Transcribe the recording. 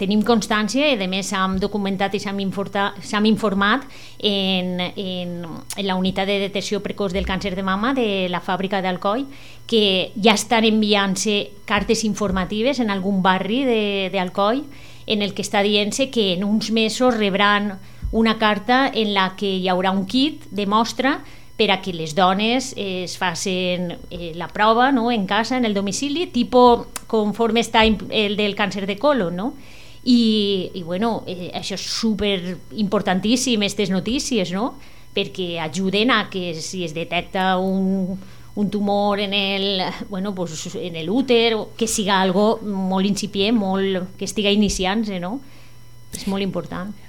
tenim constància i a més s'han documentat i s'han informat en la unitat de detecció precoç del càncer de mama de la fàbrica d'Alcoi, que ja estan enviant-se cartes informatives en algun barri d'Alcoi en el que està dient-se que en uns mesos rebran una carta en la que hi haurà un kit de mostra per a que les dones es facin la prova, no?, en casa, en el domicili, tipus conforme està el del càncer de colon, no? I bueno, això és super importantíssim, aquestes notícies, no?, perquè ajuden a que si es detecta un tumor en l'úter, que siga algo molt incipient, que estiga iniciant-se, no? És molt important.